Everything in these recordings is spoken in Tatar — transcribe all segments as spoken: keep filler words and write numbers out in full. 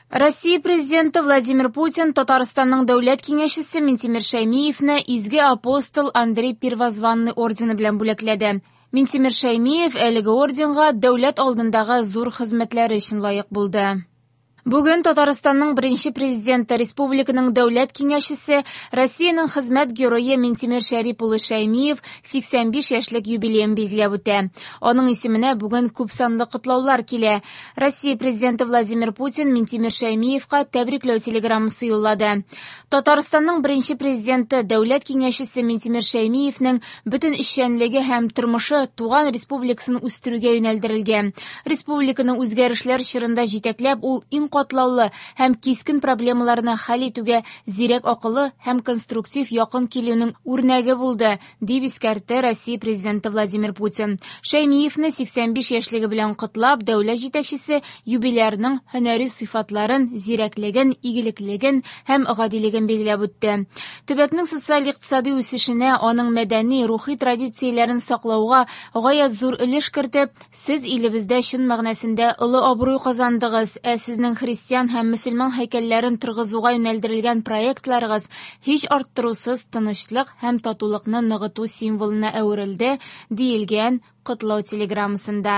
Россия Президенты Владимир Путин Татарстанның Дәүләт Киңәшчесе Минтимер Шәймиевне Изге Апостол Андрей Первозванный ордены белән бүләкләде. Минтимер Шәймиев әлеге орденга дәүләт алдындагы зур хезмәтләре өчен лаек булды. Бүген Татарстанның беренче президенты, республиканың дәүләт киңәшчесе, Россиянең хезмәт герое Минтимер Шәрип улы Шәймиев сиксән биш яшьлек юбилеен билгеләп үтә. Аның исеменә бүген күпсанлы котлаулар килә. Россия президенты Владимир Путин Минтимер Шәймиевка тәбрикләү телеграммасы юллады. Татарстанның беренче президенты, дәүләт киңәшчесе Минтимер Шәймиевнең бөтен эшчәнлеге һәм тормышы туган республикасын үстерүгә юнәлдерелгән. Республиканы үзгәрешләр чорында җитәкләп, ул иң катлаулы һәм кискен проблемаларны хәл итүгә зирәк акыллы һәм конструктив якын килүнең үрнәге булды, дип искәртте Россия президенты Владимир Путин. Шәймиевне сиксән биш яшьлеге белән котлап, дәүләт җитәкчесе юбилярның һөнәри сыйфатларын, зирәклеген, игелеклеген һәм гадилеген билгеләп үтте. Төбәкнең социаль-икътисади үсешенә, аның мәдәни, рухи традицияләрен саклауга гаять зур өлеш кертеп, сез илебездә чын мәгънәсендә олы абруй казандыгыз, ә сезнең христиан һәм мөселман һәйкәлләрен торгызуга юнәлдерелгән проектларыгыз һич арттырусыз тынычлык һәм татулыкны ныгыту символына әверелде, диелгән котлау телеграммасында.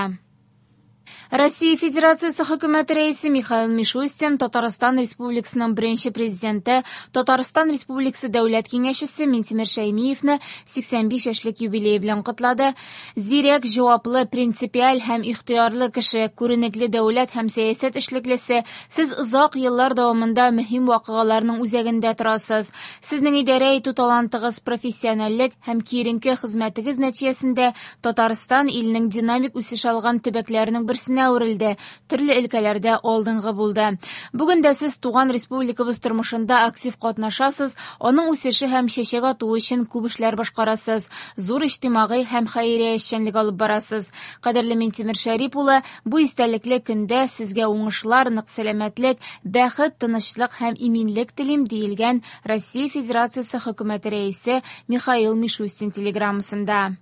Россия Федерациясе хөкүмәте рәисе Михаил Мишустин Татарстан Республикасының беренче президенты, Татарстан Республикасы Дәүләт Киңәшчесе Минтимер Шәймиевне сиксән биш яшьлек юбилее белән котлады. Зирәк, җаваплы, принципиаль һәм ихтыярлы кеше, күренекле дәүләт һәм сәясәт эшлеклесе, сез озак еллар дәвамында мөһим вакыйгаларның үзәгендә торасыз. Сезнең идарә итү талантыгыз, профессиональлек һәм киеренке хезмәтегез нәтиҗәсендә Татарстан илнең динамик үсеш алган төбәкләренең берсенә әверелде, төрле өлкәләрдә алдынгы булды. Бүген дә сез туган республикабыз тормышында актив катнашасыз, аның үсеше һәм чәчәк атуы өчен күп эшләр башкарасыз, зур иҗтимагый һәм хәйрия эшчәнлеге алып барасыз. Кадерле Минтимер Шәрип улы, бу истәлекле көндә сезгә уңышлар, нык сәламәтлек, бәхет, тынычлык һәм иминлек телим, диелгән Россия Федерациясе хөкүмәте рәисе Михаил Мишустин телеграммасында.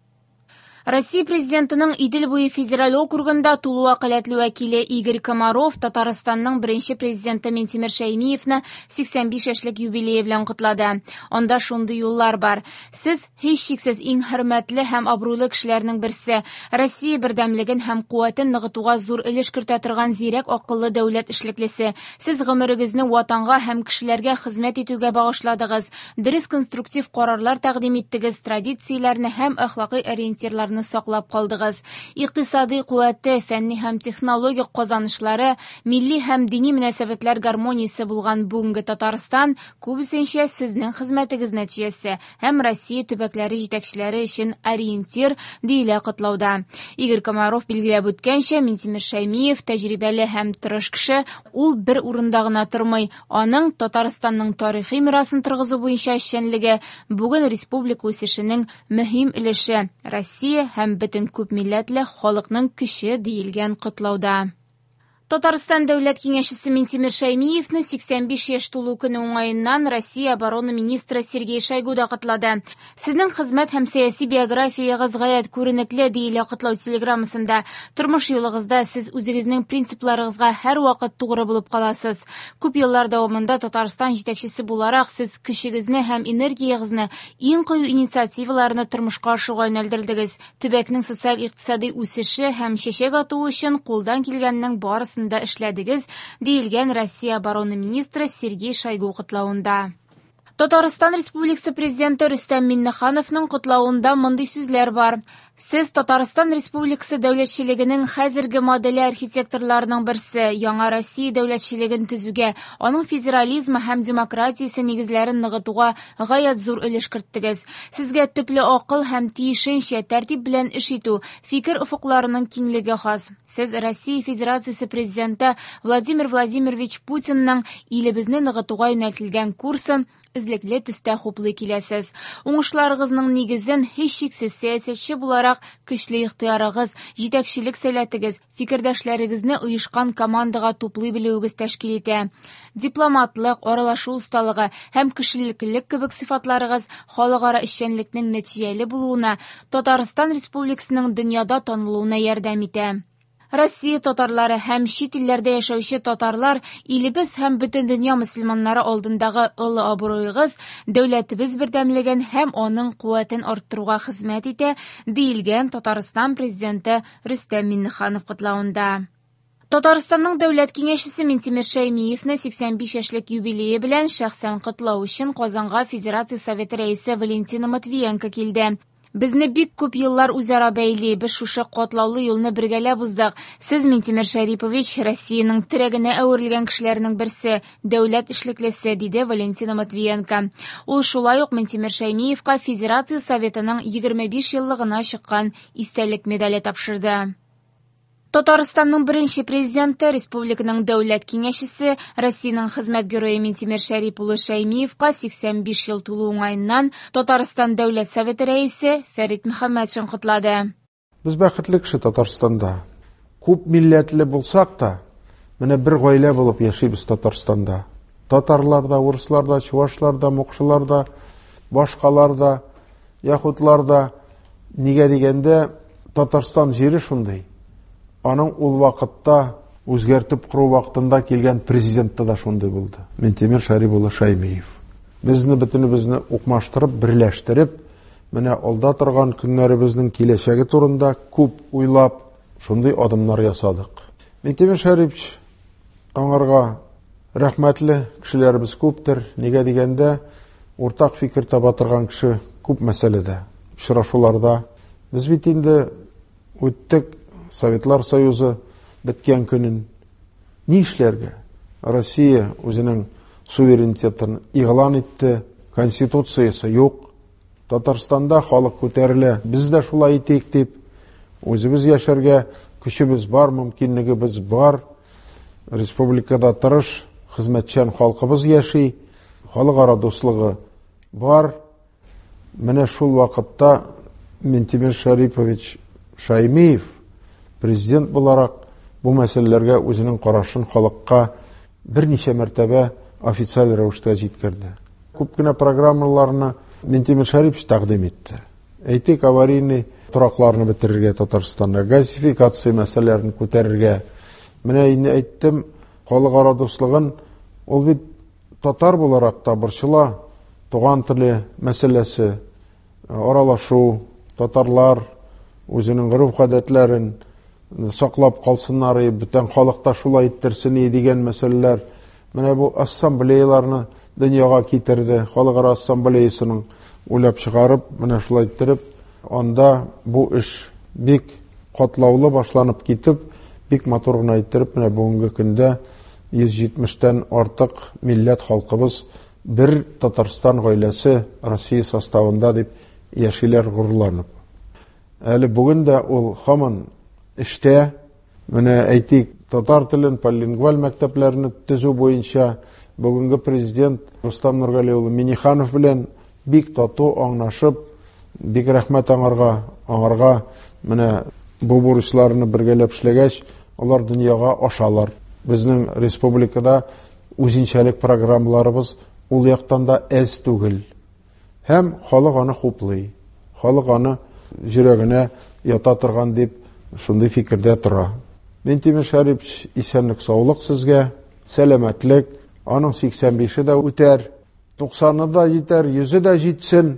Россия президентының Идел буе федераль округында тулы вәкаләтле вәкиле Игорь Комаров Татарстанның беренче президенты Минтимер Шәймиевне сиксән биш яшьлек юбилее белән котлады. Анда шундый юллар бар. Сез һичшиксез иң хөрмәтле һәм абруйлы кешеләрнең берсе. Россия бердәмлеген һәм куәтен ныгытуга зур өлеш кертә торган зирәк акыллы дәүләт эшлеклесе. Сез гомерегезне ватанга һәм кешеләргә хезмәт итүгә багышладыгыз. Дөрес конструктив карарлар тәкъдим иттегез, традицияләрне һәм әхлакый ориентирларны саклап калдыгыз. Икътисади куәте, фәнни һәм технологик казанышлары, милли һәм дини мөнәсәбәтләр гармониясе булган бүгенге Татарстан күбесенчә сезнең хезмәтегез нәтиҗәсе һәм Россия төбәкләре җитәкчеләре өчен ориентир, диелә котлауда. Игорь Комаров билгеләп үткәнчә, Минтимер Шәймиев тәҗрибәле һәм тырыш кеше, ул бер урында гына тормый. Аның Татарстанның тарихи мирасын торгызу буенча эшчәнлеге бүген республика үсешенең мөһим өлеше. Россия һәм бөтен күп милләтле халыкның көче, диелгән котлауда. Татарстан Дәүләт Киңәшчесе Минтимер Шәймиевне сиксән биш яшь тулу көне уңаеннан Россия оборона министры Сергей Шойгу да котлады. Сезнең хезмәт һәм сәяси биографиягыз гаять күренекле, диелә котлау телеграммасында. Тормыш юлыгызда сез үзегезнең принципларыгызга һәрвакыт тугры булып каласыз. Күп еллар дәвамында Татарстан җитәкчесе буларак сез көчегезне һәм энергиягызны иң кыю инициативаларны тормышка ашыруга юнәлдердегез. Төбәкнең социаль-икътисади үсеше һәм чәчәк атуы өчен кулдан килгәннең барысын да эшләдегез, диелгән Россия оборона министры Сергей Шойгу котлавында. Татарстан Республикасы президенты Рөстәм Миңнехановның котлавында мондый сүзләр бар. Сез Татарстан Республикасы дәүләтчелегенең хәзерге моделе архитекторларының берсе, яңа Россия дәүләтчелеген төзүгә, аның федерализмы һәм демократиясе нигезләрен ныгытуга гаять зур өлеш керттегез. Сезгә төпле акыл һәм тиешенчә тәртип белән эш итү, фикер офыкларының киңлеге хас. Сез Россия Федерациясе президенты Владимир Владимирович Путинның илебезне ныгытуга юнәлтелгән курсын эзлекле төстә хуплый киләсез. Уңышларыгызның нигезен һичшиксез сәясәтче буларак көчле ихтыярыгыз, җитәкчелек сәләтегез, фикердәшләрегезне оешкан командага туплый белүегез тәшкил итә. Дипломатлык, аралашу осталыгы һәм кешелеклелек кебек сыйфатларыгыз халыкара эшчәнлекнең нәтиҗәле булуына, Татарстан Республикасының дөньяда танылуына ярдәм итә. Россия татарлары һәм чит илләрдә яшәүче татарлар илебез һәм бөтен дөнья мөселманнары алдындагы олы абруегыз дәүләтебез бердәмлеген һәм аның куәтен арттыруга хезмәт итә, диелгән Татарстан президенты Рөстәм Миңнеханов котлавында. Татарстанның дәүләт киңәшчесе Минтимер Шәймиевне сиксән биш яшьлек юбилее белән шәхсән котлау өчен Казанга Федерация Советы рәисе Валентина Матвиенко килде. Безне бик күп еллар үзара бәйли, без шушы катлаулы юлны бергәләп уздык. Сез, Минтимер Шәрипович, Россиянең терәгенә әверелгән кешеләрнең берсе, дәүләт эшлеклесе, диде Валентина Матвиенко. Ул шулай ук Минтимер Шәймиевка Федерация Советының егерме биш еллыгына чыккан истәлек медале тапшырды. Татарстанның беренче президенты, республиканың дәүләт киңәшчесе, Россиянең хезмәт герое Минтимер Шәрип улы Шәймиевка сиксән биш ел тулу уңаеннан Татарстан Дәүләт Советы рәисе Фәрит Мөхәммәтшин котлады. Без бәхетле кеше Татарстанда. Күп милләтле булсак та, менә бер гаилә булып яшибез Татарстанда. Татарлар да, урыслар да, чувашлар да, мокшылар да, башкалар да, яһүдләр дә. Нигә дигәндә, Татарстан җире шундый. Аның ул вакытта үзгәртеп кору вакытында килгән президентта да шундый булды. Минтимер Шәрип улы Шәймиев. Безне бөтенебезне укмаштырып, берләштереп, менә алда торган көннәребезнең киләчәге турында күп уйлап, шундый адымнар ясадык. Минтимер Шәрипович, аңарга рәхмәтле кешеләребез күптер. Нигә дигәндә, уртак фикер таба торган кеше күп мәсьәләдә, очрашуларда. Без бит инде үттек Советлар Союзы беткән көнен. Ни эшләргә? Россия үзенең суверенитетын игълан итте, конституциясе юк. Татарстанда халык күтәрелә, без дә шулай итик дип, үзебез яшәргә көчебез бар, мөмкинлегебез бар. Республикада тырыш, хезмәтчән халкыбыз яши, халыкара дуслыгы бар. Менә шул вакытта Минтимер Шәрипович Шәймиев президент буларак бу мәсьәләләргә үзенең карашын халыкка берничә мәртәбә официаль рәвештә җиткерде. Күп кенә программаларны Минтимер Шәрипович тәкъдим итте. Әйтик, аварийный торакларны бетерергә Татарстанда, газификация мәсьәләләрен күтәрергә. Менә инде әйттем, халыкара дуслыгын ул бит татар буларак та борчыла, туган теле мәсьәләсе, аралашу, татарлар үзенең гореф-гадәтләрен саклап калсыннар, бүтән халык та шулай иттерсен дигән мәсьәләләр. Менә бу ассамблеяларны дөньяга китерде, халыкара ассамблеясының уйлап чыгарып, менә шулай иттереп, анда бу эш бик катлаулы башланып китеп, бик матур гына иттереп, менә бүгенге көндә йөз җитмештән артык милләт халкыбыз бер Татарстан гаиләсе Россия составында дип яшиләр горурланып. Әле бүген дә ул һаман эштә, менә әйтик, татар телен полилингваль мәктәпләрне төзү буенча бүгенге президент Рустам Нургали улы Минниханов белән бик тату аңлашып, бик рәхмәт аңарга, аңарга менә бу бурычларны бергәләп эшләгәч, алар дөньяга ашалар. Безнең республикада үзенчәлек программаларыбыз ул яктан да әз түгел. Һәм халык аны хуплый, халык аны йөрәгенә ята торган дип шундый фикердә тора. Минтимер Шәрипович, исәнлек, саулык сезгә, сәламәтлек, аның сиксән бише дә үтәр, туксаны да җитәр, йөзе дә җитсен.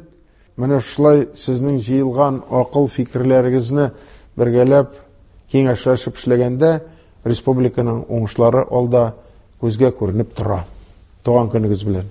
Менә шулай сезнең җыелган акыл фикерләрегезне бергәләп киңәшләшеп эшләгәндә республиканың уңышлары алда күзгә күренеп тора. Туган көнегез белән.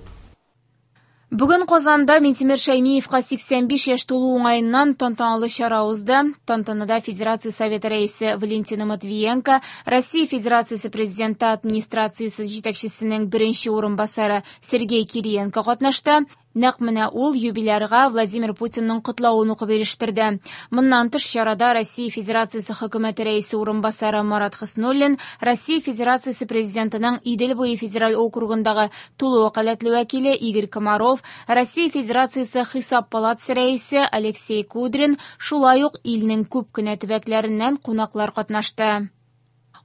Бүген Казанда Минтимер Шәймиевка сиксән биш яшь тулу уңаеннан тантаналы чара узды. Тантанада Федерация Советы рәисе Валентина Матвиенко, Россия Федерациясе Президенты администрациясе җитәкчесенең беренче урынбасары Сергей Кириенко катнашты. Нәкъ менә ул юбилярга Владимир Путинның котлавын укып ирештерде. Моннан тыш чарада Россия Федерациясе Хөкүмәте рәисе урынбасары Марат Хөснуллин, Россия Федерациясе Президентының Идел буе федераль округындагы тулы вәкаләтле вәкиле Игорь Комаров, Россия Федерациясе Хисап палатасы рәисе Алексей Кудрин, шулай ук илнең күп кенә төбәкләреннән кунаклар катнашты.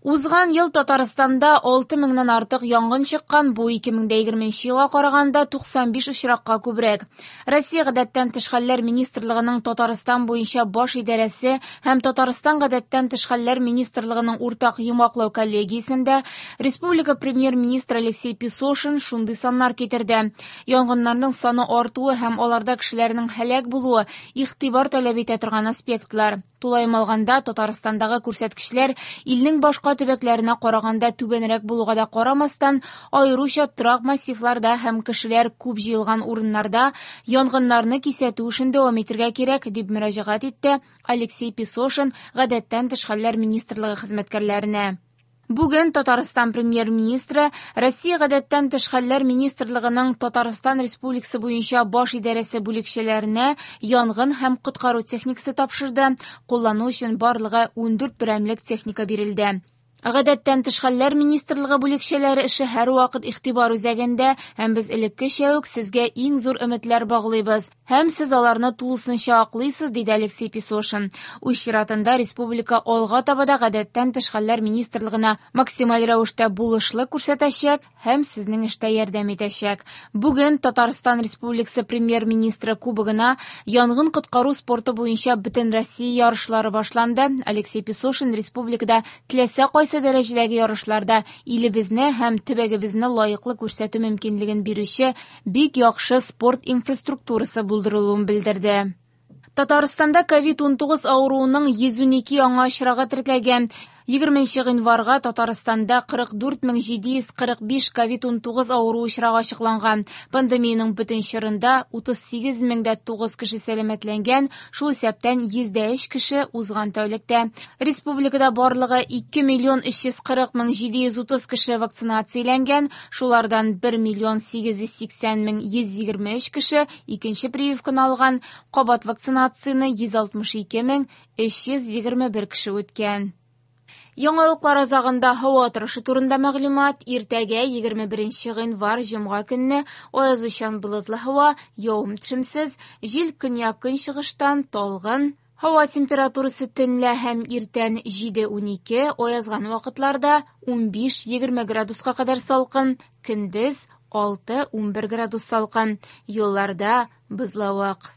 Узган ел Татарстанда алты меңнән артык янгын чыккан, бу ике мең егерменче елга караганда туксан биш очракка күбрәк. Россия Гадәттән тыш хәлләр министрлыгының Татарстан буенча баш идарәсе һәм Татарстан Гадәттән тыш хәлләр министрлыгының уртак йомгаклау коллегиясендә республика премьер-министры Алексей Песошин шундый саннар китерде. Янгыннарның саны артуы һәм аларда кешеләрнең һәлак булуы игътибар таләп итә торган аспектлар. Тулаем алганда, Татарстандагы күрсәткечләр илнең башка төбәкләренә караганда түбәнрәк булуга да карамастан, аеруча торак массивларда һәм кешеләр күп җыелган урыннарда янгыннарны кисәтү эшен дәвам итәргә кирәк, дип мөрәҗәгать итте Алексей Песошин Гадәттән тыш хәлләр министрлыгы хезмәткәрләренә. Бүген Татарстан премьер-министры Россия Гадәттән тыш хәлләр министрлыгының Татарстан Республикасы буенча баш идарәсе бүлекчәләренә янгын һәм коткару техникасы тапшырды. Куллану өчен барлыгы ундүрт берәмлек техника бирелде. Гадәттән тыш хәлләр министрлыгы бүлекчәләре эше һәрвакыт игътибар үзәгендә, һәм без элеккечә үк сезгә иң зур өметләр баглыйбыз. Һәм сез аларны тулысынча аклыйсыз, диде Алексей Песошин. Үз чиратында республика алга таба да Гадәттән тыш хәлләр министрлыгына максималь рәвештә булышлык күрсәтәчәк һәм сезнең эштә ярдәм итәчәк. Бүген Татарстан Республикасы премьер-министры кубогына янгын коткару спорты буенча Бөтенроссия ярышлары башланды. Алексей Песошин республикада теләсә кайсы дәрәҗәдәге ярышларда илебезне һәм төбәгебезне лаеклы күрсәтү мөмкинлеген бирүче бик яхшы спорт инфраструктурасы булдырылуын белдерде. Татарстанда ковид унтугыз авыруының йөз унике яңа очрагы теркәлгән. Егерменче гыйнварга Татарстанда кырык дүрт мең җиде йөз кырык биш ковид унтугыз авыруы очрагы ачыкланган. Пандемиянең бөтен чорында утыз сигез мең дә тугыз кеше сәламәтләнгән, шул исәптән йөз дә өч кеше узган тәүлектә. Республикада барлыгы ике миллион өч йөз кырык мең җиде йөз утыз кеше вакцинацияләнгән, шулардан бер миллион сигез йөз сиксән мең йөз егерме өч кеше икенче прививканы алган, кабат вакцинацияне йөз алтмыш ике мең өч йөз егерме бер кеше үткән. Яңалыклар азагында һава торышы турында мәгълүмат. Иртәгә егерме беренче гыйнвар җомга көнне аязучан болытлы һава, явым-төшемсез, җил көньяк-көнчыгыштан талгын. Һава температурасы төнлә һәм иртән җиде унике, аязган вакытларда унбиш егерме градуска кадәр салкын, көндез алты унбер градус салкын. Юлларда бозлавык.